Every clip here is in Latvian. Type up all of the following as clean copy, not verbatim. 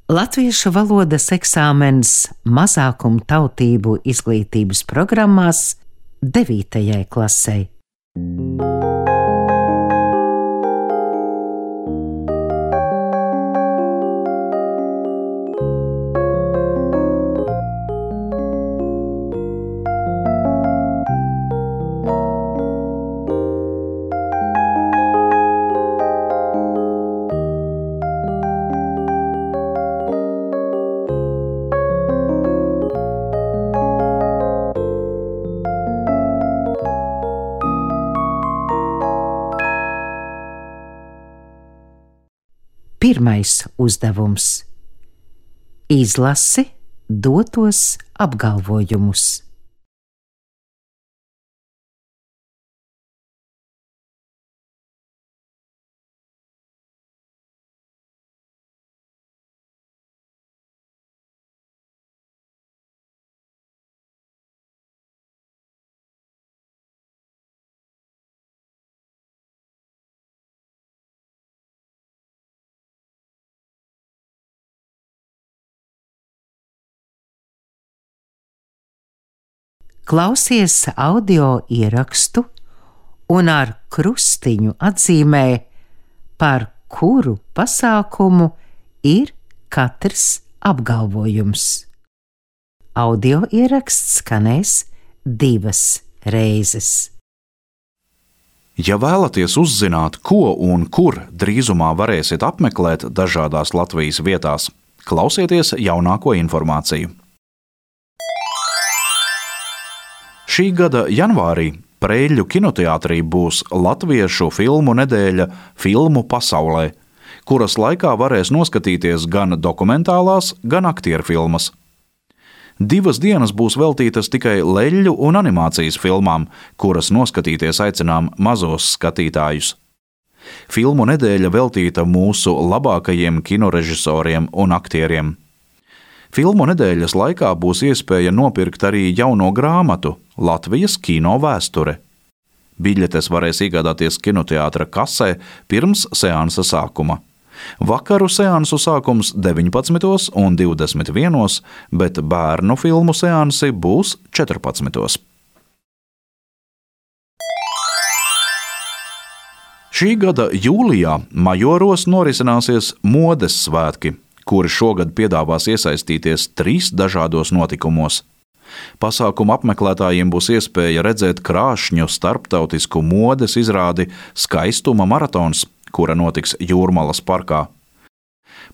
Latviešu valodas eksāmens mazākumu tautību izglītības programmās 9. klasei. Pirmais uzdevums – izlasi dotos apgalvojumus. Klausies audio ierakstu un ar krustiņu atzīmē, par kuru pasākumu ir katrs apgalvojums. Audio ieraksts skanēs 2 reizes. Ja vēlaties uzzināt, ko un kur drīzumā varēsiet apmeklēt dažādās Latvijas vietās, klausieties jaunāko informāciju. Šī gada janvārī Preļļu kinoteātrī būs latviešu filmu nedēļa Filmu pasaulē, kuras laikā varēs noskatīties gan dokumentālās, gan aktieru filmas. 2 dienas būs veltītas tikai leļļu un animācijas filmām, kuras noskatīties aicinām mazos skatītājus. Filmu nedēļa veltīta mūsu labākajiem kinorežisoriem un aktieriem. Filmu nedēļas laikā būs iespēja nopirkt arī jauno grāmatu Latvijas kino vēsture. Biļetes varēs iegādāties kinoteātra kasē pirms seansa sākuma. Vakaru seansu sākums 19. un 21., bet bērnu filmu seansi būs 14. Šī gada jūlijā Majoros norisināsies modes svētki, kuri šogad piedāvās iesaistīties 3 dažādos notikumos. Pasākuma apmeklētājiem būs iespēja redzēt krāšņu starptautisku modes izrādi Skaistuma maratons, kura notiks Jūrmalas parkā.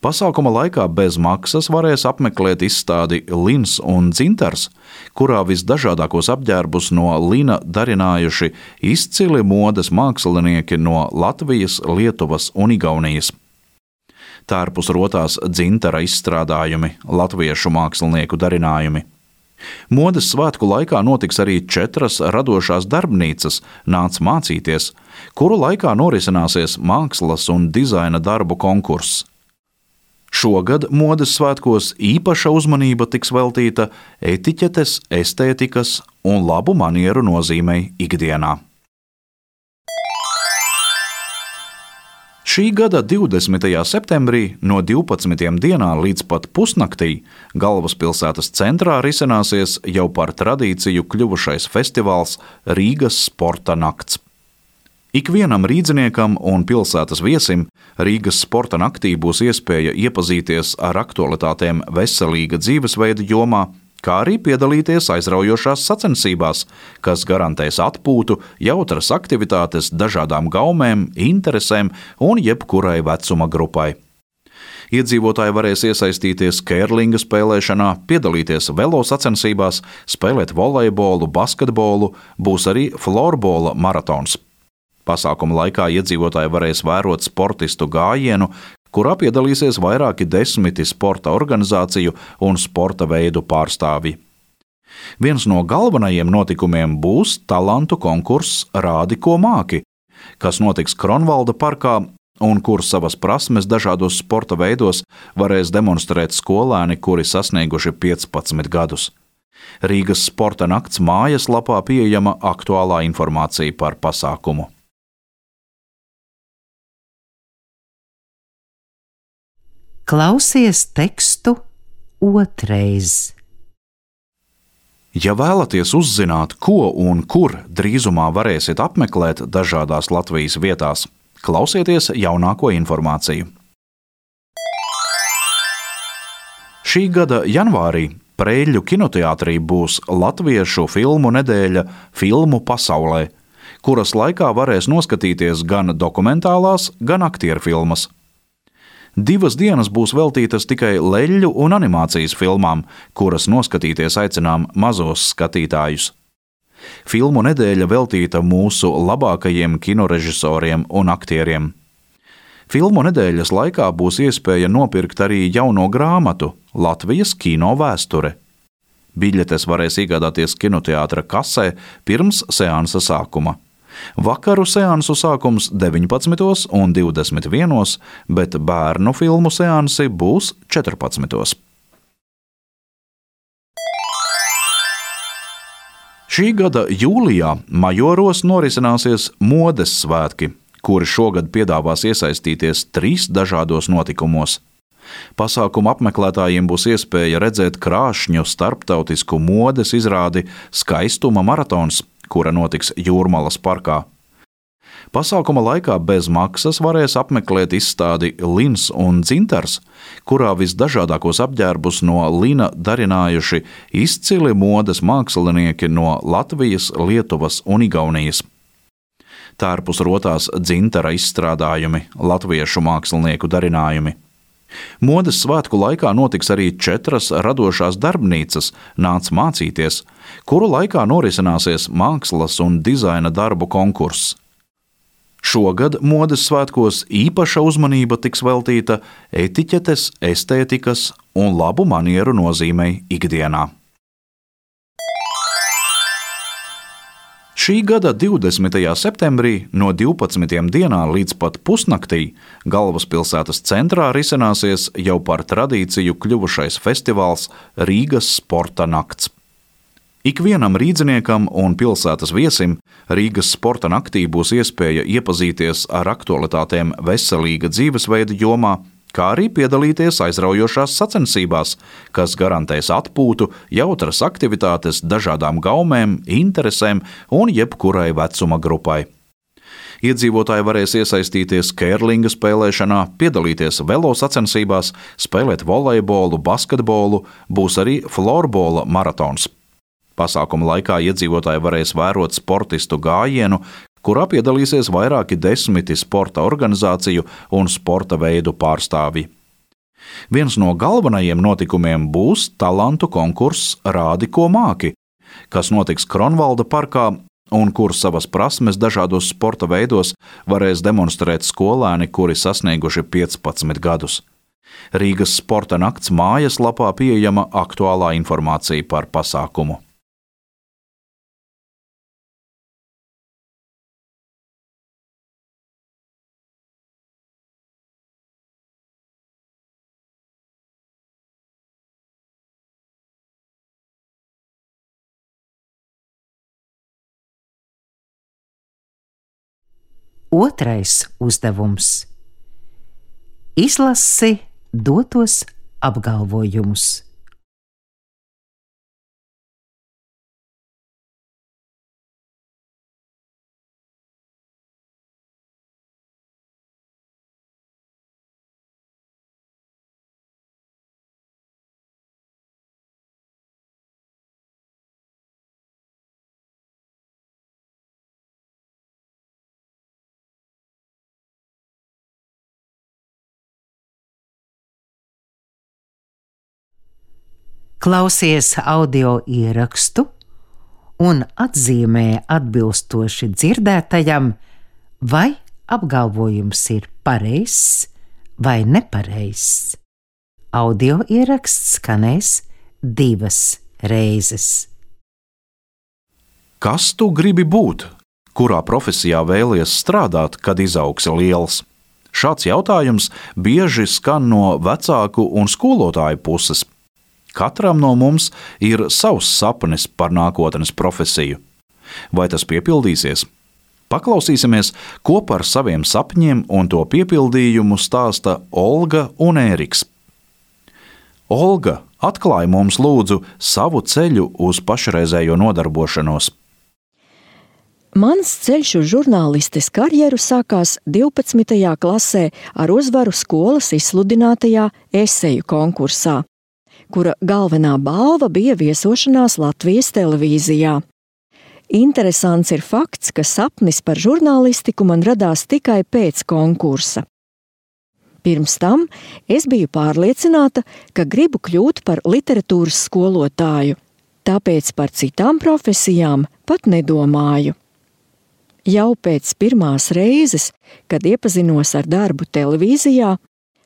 Pasākuma laikā bez maksas varēs apmeklēt izstādi Lins un dzintars, kurā visdažādākos apģērbus no lina darinājuši izcili modes mākslinieki no Latvijas, Lietuvas un Igaunijas. Tērpus rotās dzintara izstrādājumi, latviešu mākslinieku darinājumi. Modes svētku laikā notiks arī 4 radošās darbnīcas Nāc mācīties, kuru laikā norisināsies mākslas un dizaina darbu konkurss. Šogad modes svētkos īpaša uzmanība tiks veltīta etiķetes, estētikas un labu manieru nozīmei ikdienā. Šī gada 20. septembrī no 12 dienā līdz pat pusnaktī galvaspilsētas centrā risināsies jau par tradīciju kļuvušais festivāls Rīgas sporta nakts. Ikvienam rīdziniekam un pilsētas viesim Rīgas sporta naktī būs iespēja iepazīties ar aktualitātēm veselīga dzīvesveida jomā, kā arī piedalīties aizraujošās sacensībās, kas garantēs atpūtu, jautras aktivitātes dažādām gaumēm, interesēm un jebkurai vecuma grupai. Iedzīvotāji varēs iesaistīties kērlinga spēlēšanā, piedalīties velo sacensībās, spēlēt volejbolu, basketbolu, būs arī florbola maratons. Pasākuma laikā iedzīvotāji varēs vērot sportistu gājienu, kurā piedalīsies vairāki 10 sporta organizāciju un sporta veidu pārstāvji. Viens no galvenajiem notikumiem būs talantu konkurss Rādi, ko māki, kas notiks Kronvalda parkā un kur savas prasmes dažādos sporta veidos varēs demonstrēt skolēni, kuri sasnieguši 15 gadus. Rīgas sporta nakts mājaslapā pieejama aktuālā informācija par pasākumu. Klausies tekstu otrais. Ja vēlaties uzzināt, ko un kur drīzumā varēsiet apmeklēt dažādās Latvijas vietās, klausieties jaunāko informāciju. Šī gada janvārī Preļļu kinoteātrī būs latviešu filmu nedēļa Filmu pasaulē, kuras laikā varēs noskatīties gan dokumentālās, gan aktieru filmas. 2 dienas būs veltītas tikai leļļu un animācijas filmām, kuras noskatīties aicinām mazos skatītājus. Filmu nedēļa veltīta mūsu labākajiem kinorežisoriem un aktieriem. Filmu nedēļas laikā būs iespēja nopirkt arī jauno grāmatu Latvijas kino vēsture. Biļetes varēs iegādāties kinoteātra kasē pirms seansa sākuma. Vakaru seansu sākums 19. un 21. bet bērnu filmu seansi būs 14. Šī gada jūlijā Majoros norisināsies modes svētki, kuri šogad piedāvās iesaistīties 3 dažādos notikumos. Pasākuma apmeklētājiem būs iespēja redzēt krāšņu starptautisku modes izrādi Skaistuma maratons, kura notiks Jūrmalas parkā. Pasākuma laikā bez maksas varēs apmeklēt izstādi Lins un dzintars, kurā visdažādākos apģērbus no lina darinājuši izcili modes mākslinieki no Latvijas, Lietuvas un Igaunijas. Tērpus rotās dzintara izstrādājumi, latviešu mākslinieku darinājumi. Modes svētku laikā notiks arī 4 radošās darbnīcas Nāc mācīties, kuru laikā norisināsies mākslas un dizaina darbu konkurss. Šogad modes svētkos īpaša uzmanība tiks veltīta etiķetes, estētikas un labu manieru nozīmei ikdienā. Šī gada 20. septembrī no 12. dienā līdz pat pusnaktī galvaspilsētas centrā risināsies jau par tradīciju kļuvušais festivāls Rīgas sporta nakts. Ikvienam rīdziniekam un pilsētas viesim Rīgas sporta naktī būs iespēja iepazīties ar aktualitātēm veselīga dzīvesveida jomā, kā arī piedalīties aizraujošās sacensībās, kas garantēs atpūtu, jautras aktivitātes dažādām gaumēm, interesēm un jebkurai vecuma grupai. Iedzīvotāji varēs iesaistīties kērlinga spēlēšanā, piedalīties velo sacensībās, spēlēt volejbolu, basketbolu, būs arī florbola maratons. Pasākuma laikā iedzīvotāji varēs vērot sportistu gājienu, kurā piedalīsies vairāki 10 sporta organizāciju un sporta veidu pārstāvji. Viens no galvenajiem notikumiem būs talantu konkurss Rādi, ko māki, kas notiks Kronvalda parkā un kur savas prasmes dažādos sporta veidos varēs demonstrēt skolēni, kuri sasnieguši 15 gadus. Rīgas sporta nakts mājaslapā pieejama aktuālā informācija par pasākumu. Otrais uzdevums. Izlasi dotos apgalvojumus. Klausies audio ierakstu un atzīmē atbilstoši dzirdētajam, vai apgalvojums ir pareizs vai nepareizs. Audio ieraksts skanēs 2 reizes. Kas tu gribi būt? Kurā profesijā vēlies strādāt, kad izaugsi liels? Šāds jautājums bieži skan no vecāku un skolotāju puses. Katram no mums ir savs sapnis par nākotnes profesiju. Vai tas piepildīsies? Paklausīsimies, ko par saviem sapņiem un to piepildījumu stāsta Olga un Ēriks. Olga, atklāj mums lūdzu savu ceļu uz pašreizējo nodarbošanos. Mans ceļš uz žurnālistes karjeru sākās 12. klasē ar uzvaru skolas izsludinātajā eseju konkursā, kura galvenā balva bija viesošanās Latvijas televīzijā. Interesants ir fakts, ka sapnis par žurnālistiku man radās tikai pēc konkursa. Pirms tam es biju pārliecināta, ka gribu kļūt par literatūras skolotāju, tāpēc par citām profesijām pat nedomāju. Jau pēc pirmās reizes, kad iepazinos ar darbu televīzijā,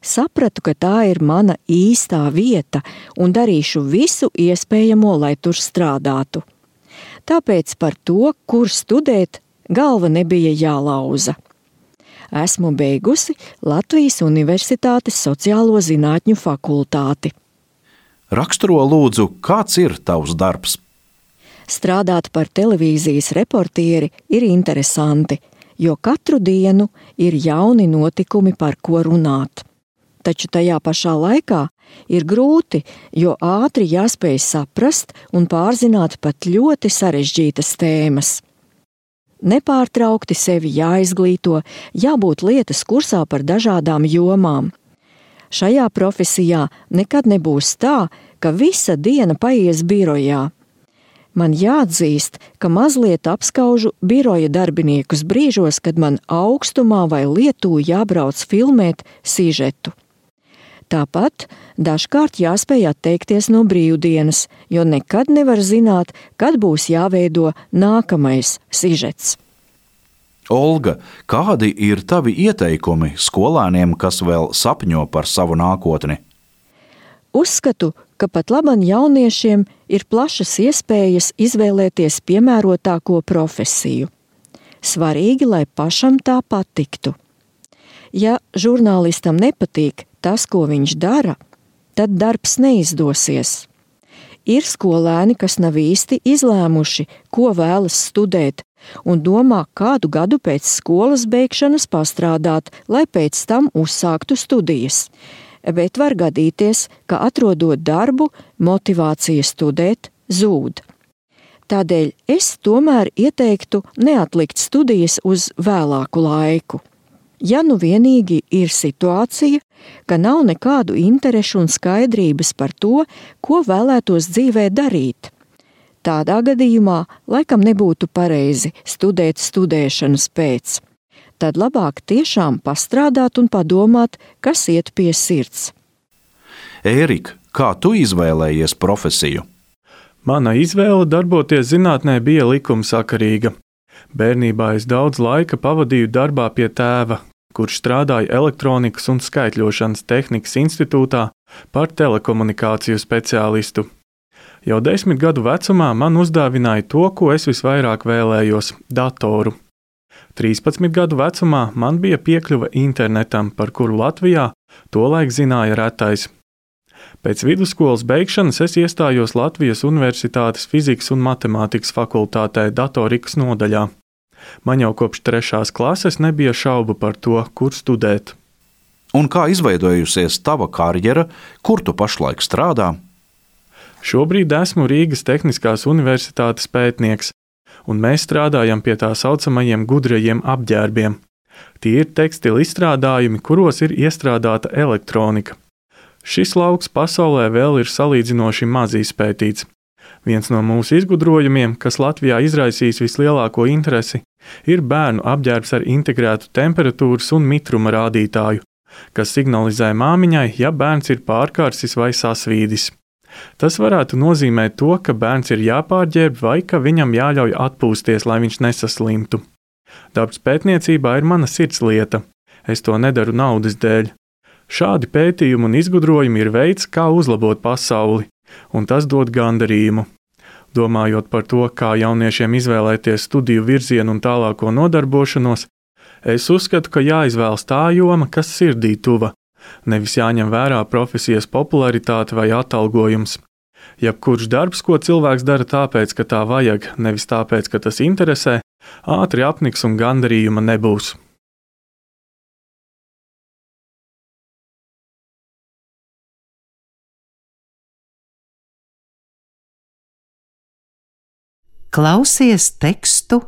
sapratu, ka tā ir mana īstā vieta un darīšu visu iespējamo, lai tur strādātu. Tāpēc par to, kur studēt, galva nebija jālauza. Esmu beigusi Latvijas Universitātes sociālo zinātņu fakultāti. Raksturo lūdzu, kāds ir tavs darbs? Strādāt par televīzijas reportieri ir interesanti, jo katru dienu ir jauni notikumi, par ko runāt. Taču tajā pašā laikā ir grūti, jo ātri jāspēj saprast un pārzināt pat ļoti sarežģītas tēmas. Nepārtraukti sevi jāizglīto, jābūt lietas kursā par dažādām jomām. Šajā profesijā nekad nebūs tā, ka visa diena paies birojā. Man jāatzīst, ka mazliet apskaužu biroja darbiniekus brīžos, kad man augstumā vai Lietū jābrauc filmēt sižetu. Tāpat dažkārt jāspēj atteikties no brīvdienas, jo nekad nevar zināt, kad būs jāveido nākamais sižets. Olga, kādi ir tavi ieteikumi skolēniem, kas vēl sapņo par savu nākotni? Uzskatu, ka pat labam jauniešiem ir plašas iespējas izvēlēties piemērotāko profesiju. Svarīgi, lai pašam tā patiktu. Ja žurnālistam nepatīk tas, ko viņš dara, tad darbs neizdosies. Ir skolēni, kas nav īsti izlēmuši, ko vēlas studēt, un domā, kādu gadu pēc skolas beigšanas pastrādāt, lai pēc tam uzsāktu studijas. Bet var gadīties, ka atrodot darbu, motivācija studēt zūd. Tādēļ es tomēr ieteiktu neatlikt studijas uz vēlāku laiku. Ja nu vienīgi ir situācija, ka nav nekādu interešu un skaidrības par to, ko vēlētos dzīvē darīt. Tādā gadījumā laikam nebūtu pareizi studēt studēšanas pēc. Tad labāk tiešām pastrādāt un padomāt, kas iet pie sirds. Ērika, kā tu izvēlējies profesiju? Mana izvēle darboties zinātnē bija likumsakarīga. Bērnībā es daudz laika pavadīju darbā pie tēva, kurš strādāja elektronikas un skaitļošanas tehnikas institūtā par telekomunikāciju speciālistu. Jau 10 gadu vecumā man uzdāvināja to, ko es visvairāk vēlējos – datoru. 13 gadu vecumā man bija piekļuve internetam, par kuru Latvijā tolaik zināja retais. Pēc vidusskolas beigšanas es iestājos Latvijas Universitātes fizikas un matemātikas fakultātē datorikas nodaļā. Man jau kopš 3. klases nebija šaubu par to, kur studēt. Un kā izveidojusies tava karjera, kur tu pašlaik strādā? Šobrīd esmu Rīgas Tehniskās universitātes pētnieks, un mēs strādājam pie tā saucamajiem gudrajiem apģērbiem. Tie ir tekstila izstrādājumi, kuros ir iestrādāta elektronika. Šis lauks pasaulē vēl ir salīdzinoši maz izpētīts. Viens no mūsu izgudrojumiem, kas Latvijā izraisīs vislielāko interesi, ir bērnu apģērbs ar integrētu temperatūras un mitruma rādītāju, kas signalizē māmiņai, ja bērns ir pārkārsis vai sasvīdis. Tas varētu nozīmēt to, ka bērns ir jāpārģērb vai ka viņam jāļauj atpūsties, lai viņš nesaslimtu. Darbs pētniecībā ir mana sirdslieta. Es to nedaru naudas dēļ. Šādi pētījumi un izgudrojumi ir veids, kā uzlabot pasauli, un tas dod gandarījumu. Domājot par to, kā jauniešiem izvēlēties studiju virzienu un tālāko nodarbošanos, es uzskatu, ka jāizvēlas tā joma, kas sirdī tuva. Nevis jāņem vērā profesijas popularitāte vai atalgojums. Jebkurš darbs, ko cilvēks dara tāpēc, ka tā vajag, nevis tāpēc, ka tas interesē, ātri apniks un gandarījuma nebūs. Klausies tekstu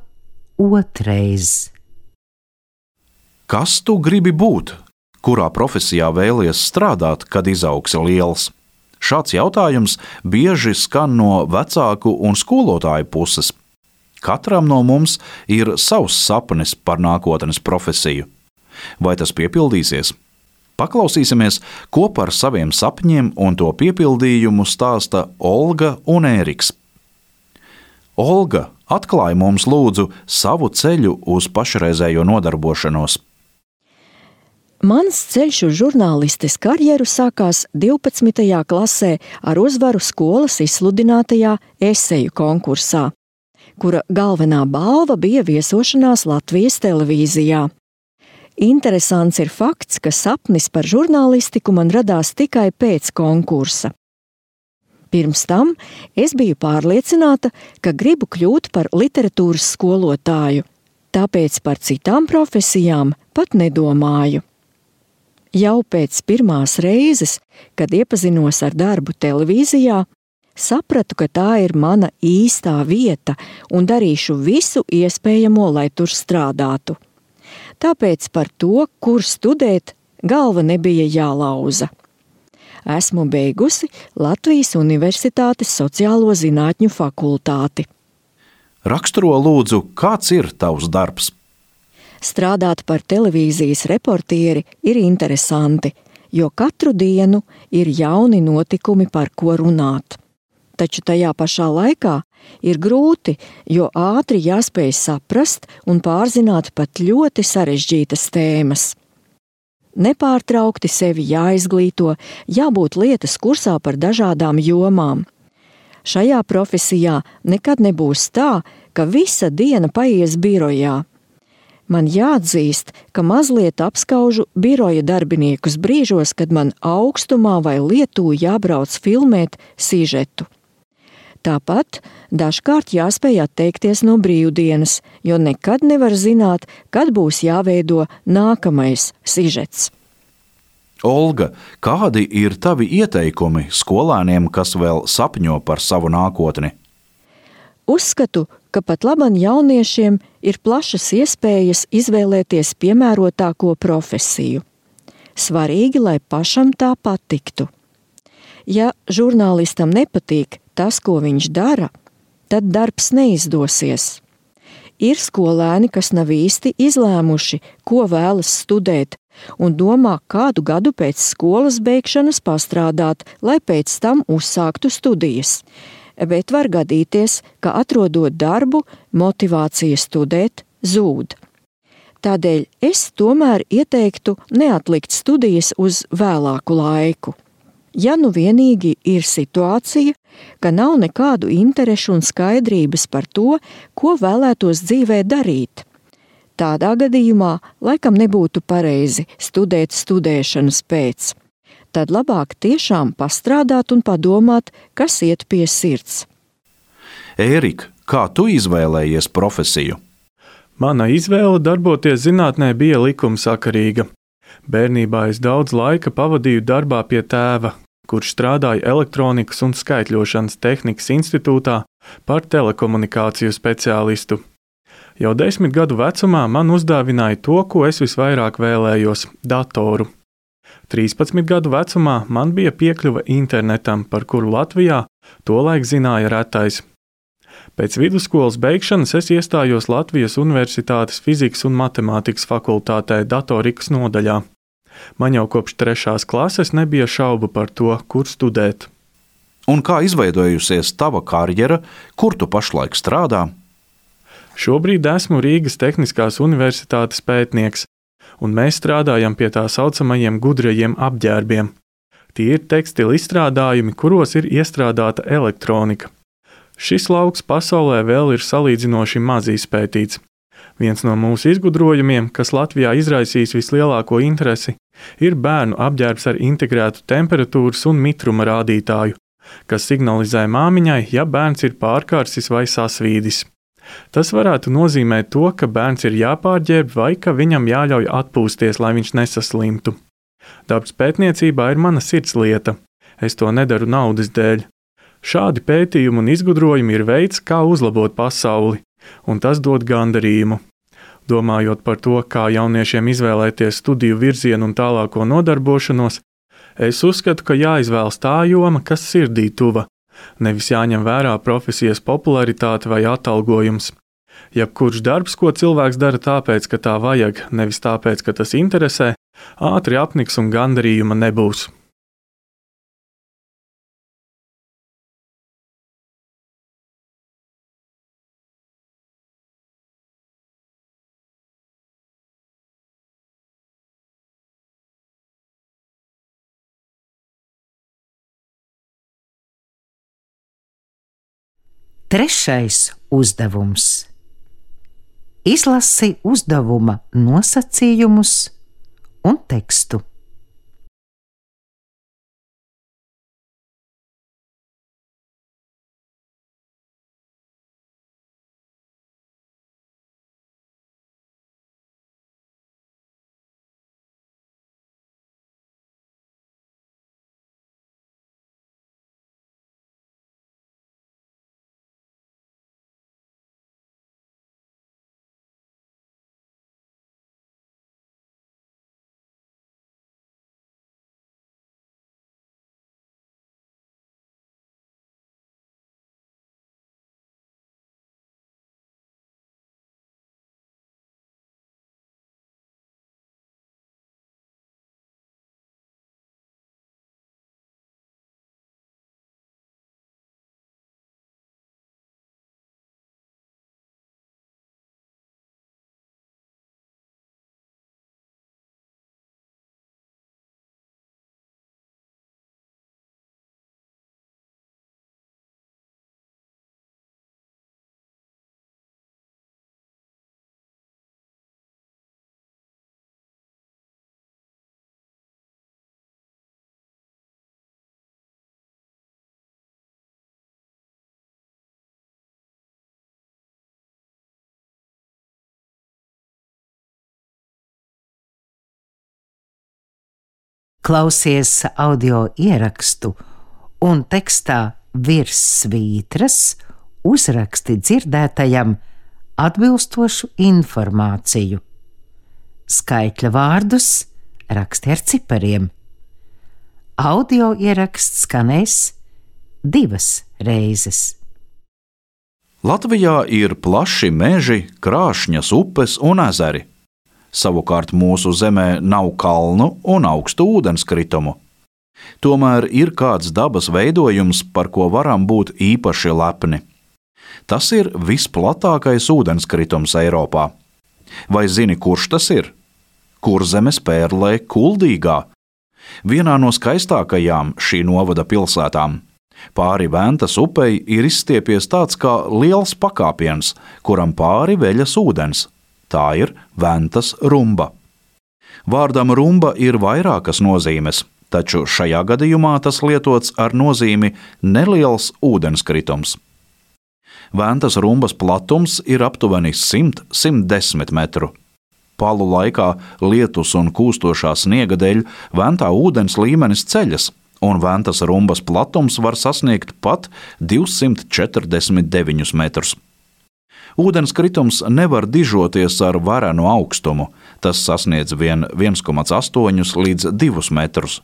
otrais. Kas tu gribi būt? Kurā profesijā vēlies strādāt, kad izaugsi liels? Šāds jautājums bieži skan no vecāku un skolotāju puses. Katram no mums ir savs sapnis par nākotnes profesiju. Vai tas piepildīsies? Paklausīsimies, ko par saviem sapņiem un to piepildījumu stāsta Olga un Ēriks. Olga, atklāj mums lūdzu savu ceļu uz pašreizējo nodarbošanos. Mans ceļš uz žurnālistes karjeru sākās 12. klasē ar uzvaru skolas izsludinātajā eseju konkursā, kura galvenā balva bija viesošanās Latvijas televīzijā. Interesants ir fakts, ka sapnis par žurnālistiku man radās tikai pēc konkursa. Pirms tam es biju pārliecināta, ka gribu kļūt par literatūras skolotāju, tāpēc par citām profesijām pat nedomāju. Jau pēc pirmās reizes, kad iepazinos ar darbu televīzijā, sapratu, ka tā ir mana īstā vieta un darīšu visu iespējamo, lai tur strādātu. Tāpēc par to, kur studēt, galva nebija jālauza. Esmu beigusi Latvijas Universitātes sociālo zinātņu fakultāti. Raksturo lūdzu, kāds ir tavs darbs? Strādāt par televīzijas reportieri ir interesanti, jo katru dienu ir jauni notikumi, par ko runāt. Taču tajā pašā laikā ir grūti, jo ātri jāspēj saprast un pārzināt pat ļoti sarežģītas tēmas. Nepārtraukti sevi jāizglīto, jābūt lietas kursā par dažādām jomām. Šajā profesijā nekad nebūs tā, ka visa diena paies birojā. Man jāatzīst, ka mazliet apskaužu biroja darbiniekus brīžos, kad man augstumā vai Lietū jābrauc filmēt sižetu. Tāpat dažkārt jāspēj atteikties no brīvdienas, jo nekad nevar zināt, kad būs jāveido nākamais sižets. Olga, kādi ir tavi ieteikumi skolēniem, kas vēl sapņo par savu nākotni? Uzskatu, ka pat laban jauniešiem ir plašas iespējas izvēlēties piemērotāko profesiju. Svarīgi, lai pašam tā patiktu. Ja žurnālistam nepatīk tas, ko viņš dara, tad darbs neizdosies. Ir skolēni, kas nav īsti izlēmuši, ko vēlas studēt, un domā, kādu gadu pēc skolas beigšanas pastrādāt, lai pēc tam uzsāktu studijas. Bet var gadīties, ka atrodot darbu, motivācija studēt zūd. Tādēļ es tomēr ieteiktu neatlikt studijas uz vēlāku laiku. Ja nu vienīgi ir situācija, ka nav nekādu interešu un skaidrības par to, ko vēlētos dzīvē darīt. Tādā gadījumā laikam nebūtu pareizi studēt studēšanas pēc. Tad labāk tiešām pastrādāt un padomāt, kas iet pie sirds. Ērika, kā tu izvēlējies profesiju? Mana izvēle darboties zinātnē bija likumsakarīga. Bērnībā es daudz laika pavadīju darbā pie tēva, kurš strādāja elektronikas un skaitļošanas tehnikas institūtā par telekomunikāciju speciālistu. Jau 10 gadu vecumā man uzdāvināja to, ko es visvairāk vēlējos – datoru. 13 gadu vecumā man bija piekļuve internetam, par kuru Latvijā tolaik zināja retais. Pēc vidusskolas beigšanas es iestājos Latvijas Universitātes fizikas un matemātikas fakultātē datorikas nodaļā. Man jau kopš 3. klases nebija šaubu par to, kur studēt. Un kā izveidojusies tava karjera, kur tu pašlaik strādā? Šobrīd esmu Rīgas Tehniskās universitātes pētnieks, un mēs strādājam pie tā saucamajiem gudrajiem apģērbiem. Tie ir tekstila izstrādājumi, kuros ir iestrādāta elektronika. Šis lauks pasaulē vēl ir salīdzinoši maz izpētīts. Viens no mūsu izgudrojumiem, kas Latvijā izraisīs vislielāko interesi, ir bērnu apģērbs ar integrētu temperatūras un mitruma rādītāju, kas signalizē māmiņai, ja bērns ir pārkarsis vai sasvīdis. Tas varētu nozīmēt to, ka bērns ir jāpārģērb vai ka viņam jāļauj atpūsties, lai viņš nesaslimtu. Darbs pētniecībā ir mana sirdslieta. Es to nedaru naudas dēļ. Šādi pētījumi un izgudrojumi ir veids, kā uzlabot pasauli, un tas dod gandarījumu. Domājot par to, kā jauniešiem izvēlēties studiju virzienu un tālāko nodarbošanos, es uzskatu, ka jāizvēlas tā joma, kas sirdī tuva, nevis jāņem vērā profesijas popularitāte vai atalgojums. Jebkurš darbs, ko cilvēks dara tāpēc, ka tā vajag, nevis tāpēc, ka tas interesē, ātri apniks un gandarījuma nebūs. Trešais uzdevums. Izlasi uzdevuma nosacījumus un tekstu. Klausies audio ierakstu un tekstā virs svītras uzraksti dzirdētajam atbilstošu informāciju. Skaitļa vārdus raksti ar cipariem. Audio ieraksts skanēs 2 reizes. Latvijā ir plaši meži, krāšņas upes un ezeri. Savukārt mūsu zemē nav kalnu un augstu ūdenskritumu. Tomēr ir kāds dabas veidojums, par ko varam būt īpaši lepni. Tas ir visplatākais ūdenskritums Eiropā. Vai zini, kurš tas ir? Kurzemes pērlē Kuldīgā, vienā no skaistākajām šī novada pilsētām. Pāri Ventas upei ir izstiepies tāds kā liels pakāpiens, kuram pāri veļas ūdens. Tā ir Ventas rumba. Vārdam rumba ir vairākas nozīmes, taču šajā gadījumā tas lietots ar nozīmi neliels ūdenskritums. Ventas rumbas platums ir aptuveni 100–110 metru. Palu laikā lietus un kūstošā sniega dēļ Ventā ūdens līmenis ceļas, un Ventas rumbas platums var sasniegt pat 249 metrus. Ūdenskritums nevar dižoties ar varenu augstumu, tas sasniedz vien 1,8 līdz 2 metrus.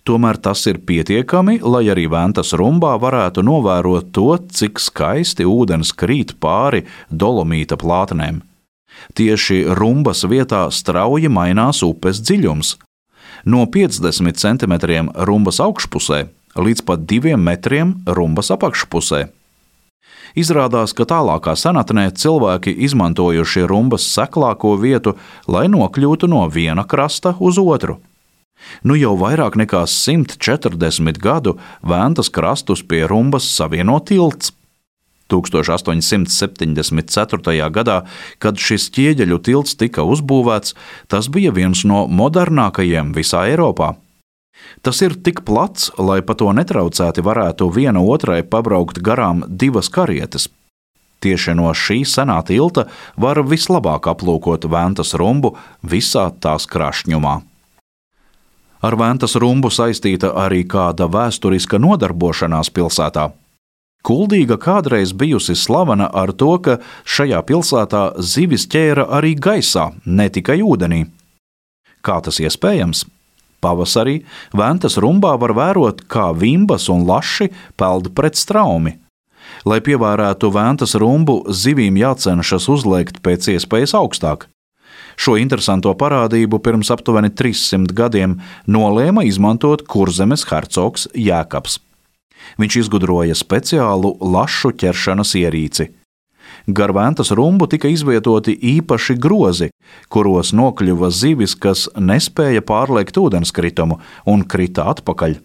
Tomēr tas ir pietiekami, lai arī Ventas rumbā varētu novērot to, cik skaisti ūdens krīt pāri dolomīta plātnēm. Tieši rumbas vietā strauji mainās upes dziļums. No 50 centimetriem rumbas augšpusē līdz pat 2 metriem rumbas apakšpusē. Izrādās, ka tālākā senatnē cilvēki izmantojuši rumbas seklāko vietu, lai nokļūtu no viena krasta uz otru. Nu jau vairāk nekā 140 gadu Ventas krastus pie rumbas savieno tilts. 1874. gadā, kad šis ķieģeļu tilts tika uzbūvēts, tas bija viens no modernākajiem visā Eiropā. Tas ir tik plats, lai pa to netraucēti varētu viena otrai pabraukt garām 2 karietes. Tieši no šī senā tilta var vislabāk aplūkot Ventas rumbu visā tās krāšņumā. Ar Ventas rumbu saistīta arī kāda vēsturiska nodarbošanās pilsētā. Kuldīga kādreiz bijusi slavena ar to, ka šajā pilsētā zivis ķēra arī gaisā, ne tikai ūdenī. Kā tas iespējams? Pavasarī Ventas rumbā var vērot, kā vimbas un laši peld pret straumi. Lai pievērētu Ventas rumbu, zivīm jācenšas uzliekt pēc iespējas augstāk. Šo interesanto parādību pirms aptuveni 300 gadiem nolēma izmantot Kurzemes hercogs Jēkabs. Viņš izgudroja speciālu lašu ķeršanas ierīci. Gar Ventas rumbu tika izvietoti īpaši grozi, kuros nokļuva zivis, kas nespēja pārliekt ūdenskritumu un krita atpakaļ.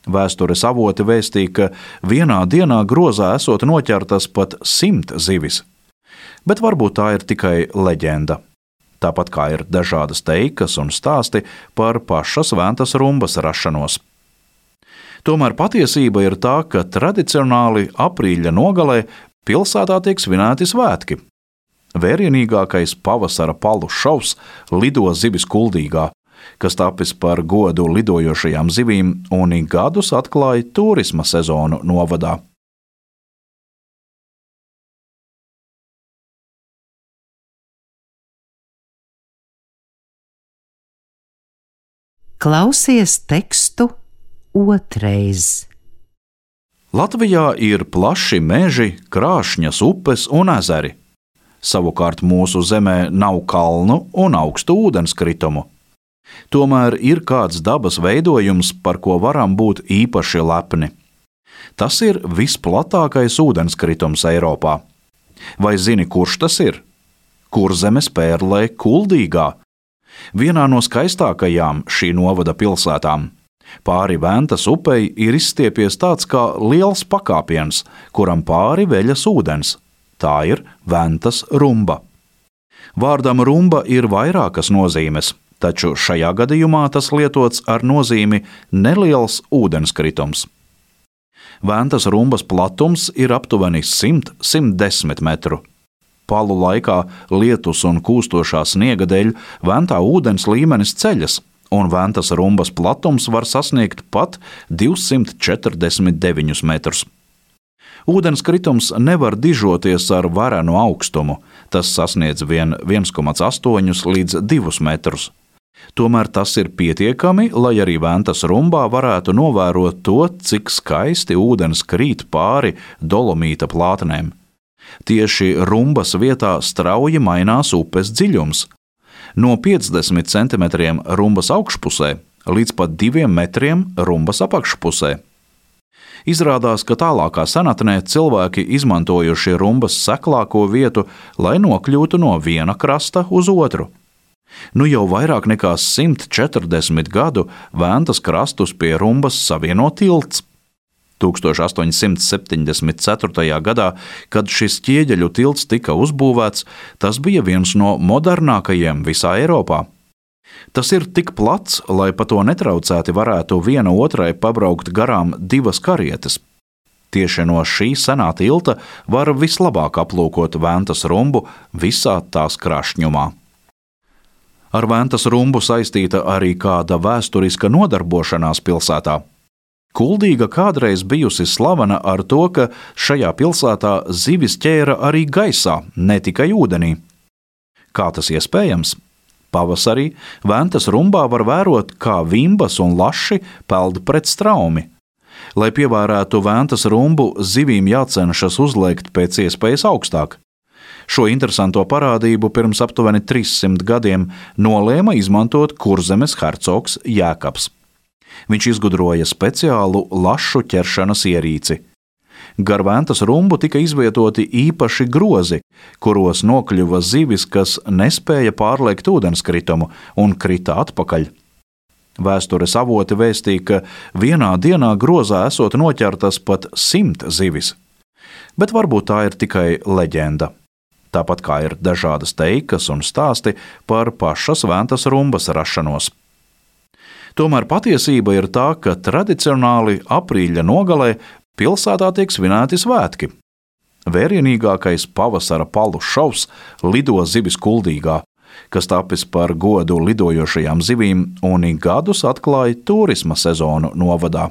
Vēstures avoti vēstīja, ka vienā dienā grozā esot noķertas pat 100 zivis. Bet varbūt tā ir tikai leģenda. Tāpat kā ir dažādas teikas un stāsti par pašas Ventas rumbas rašanos. Tomēr patiesība ir tā, ka tradicionāli aprīļa nogalē pilsētā tiek svinēti svētki. Vērienīgākais pavasara palu šovs lido zivis Kuldīgā, kas tapis par godu lidojošajām zivīm un ik gadus atklāja turisma sezonu novadā. Klausies tekstu otrais. Latvijā ir plaši meži, krāšņas upes un ezeri. Savukārt mūsu zemē nav kalnu un augstu ūdenskritumu. Tomēr ir kāds dabas veidojums, par ko varam būt īpaši lepni. Tas ir visplatākais ūdenskritums Eiropā. Vai zini, kurš tas ir? Kurzemes pērlē Kuldīgā, vienā no skaistākajām šī novada pilsētām. Pāri Ventas upei ir izstiepies tāds kā liels pakāpiens, kuram pāri veļas ūdens. Tā ir Ventas rumba. Vārdam rumba ir vairākas nozīmes, taču šajā gadījumā tas lietots ar nozīmi neliels ūdenskritums. Ventas rumbas platums ir aptuveni 100–110 metru. Palu laikā lietus un kūstošā sniega dēļ Ventā ūdens līmenis ceļas, un Ventas rumbas platums var sasniegt pat 249 metrus. Ūdenskritums nevar dižoties ar varenu augstumu, tas sasniedz vien 1,8 līdz 2 metrus. Tomēr tas ir pietiekami, lai arī Ventas rumbā varētu novērot to, cik skaisti ūdens krīt pāri dolomīta plātnēm. Tieši rumbas vietā strauji mainās upes dziļums. No 50 centimetriem rumbas augšpusē līdz pat 2 metriem rumbas apakšpusē. Izrādās, ka tālākā senatnē cilvēki izmantojuši rumbas seklāko vietu, lai nokļūtu no viena krasta uz otru. Nu jau vairāk nekā 140 gadu Ventas krastus pie rumbas savieno tilts. 1874. gadā, kad šis ķieģeļu tilts tika uzbūvēts, tas bija viens no modernākajiem visā Eiropā. Tas ir tik plats, lai pa to netraucēti varētu viena otrai pabraukt garām 2 karietes. Tieši no šī senā tilta var vislabāk aplūkot Ventas rumbu visā tās krāšņumā. Ar Ventas rumbu saistīta arī kāda vēsturiska nodarbošanās pilsētā. Kuldīga kādreiz bijusi slavena ar to, ka šajā pilsētā zivis ķēra arī gaisā, ne tikai ūdenī. Kā tas iespējams? Pavasarī Ventas rumbā var vērot, kā vimbas un laši peld pret straumi. Lai pievērētu Ventas rumbu, zivīm jācenšas uzliekt pēc iespējas augstāk. Šo interesanto parādību pirms aptuveni 300 gadiem nolēma izmantot Kurzemes hercogs Jēkabs. Viņš izgudroja speciālu lašu ķeršanas ierīci. Gar Ventas rumbu tika izvietoti īpaši grozi, kuros nokļuva zivis, kas nespēja pārliekt ūdenskritumu un krita atpakaļ. Vēstures avoti vēstīja, ka vienā dienā grozā esot noķertas pat 100 zivis. Bet varbūt tā ir tikai leģenda. Tāpat kā ir dažādas teikas un stāsti par pašas Ventas rumbas rašanos. Tomēr patiesība ir tā, ka tradicionāli aprīļa nogalē pilsētā tiek svinēti svētki. Vērienīgākais pavasara palu šovs lido zivis Kuldīgā, kas tapis par godu lidojošajām zivīm un ik gadus atklāja turisma sezonu novadā.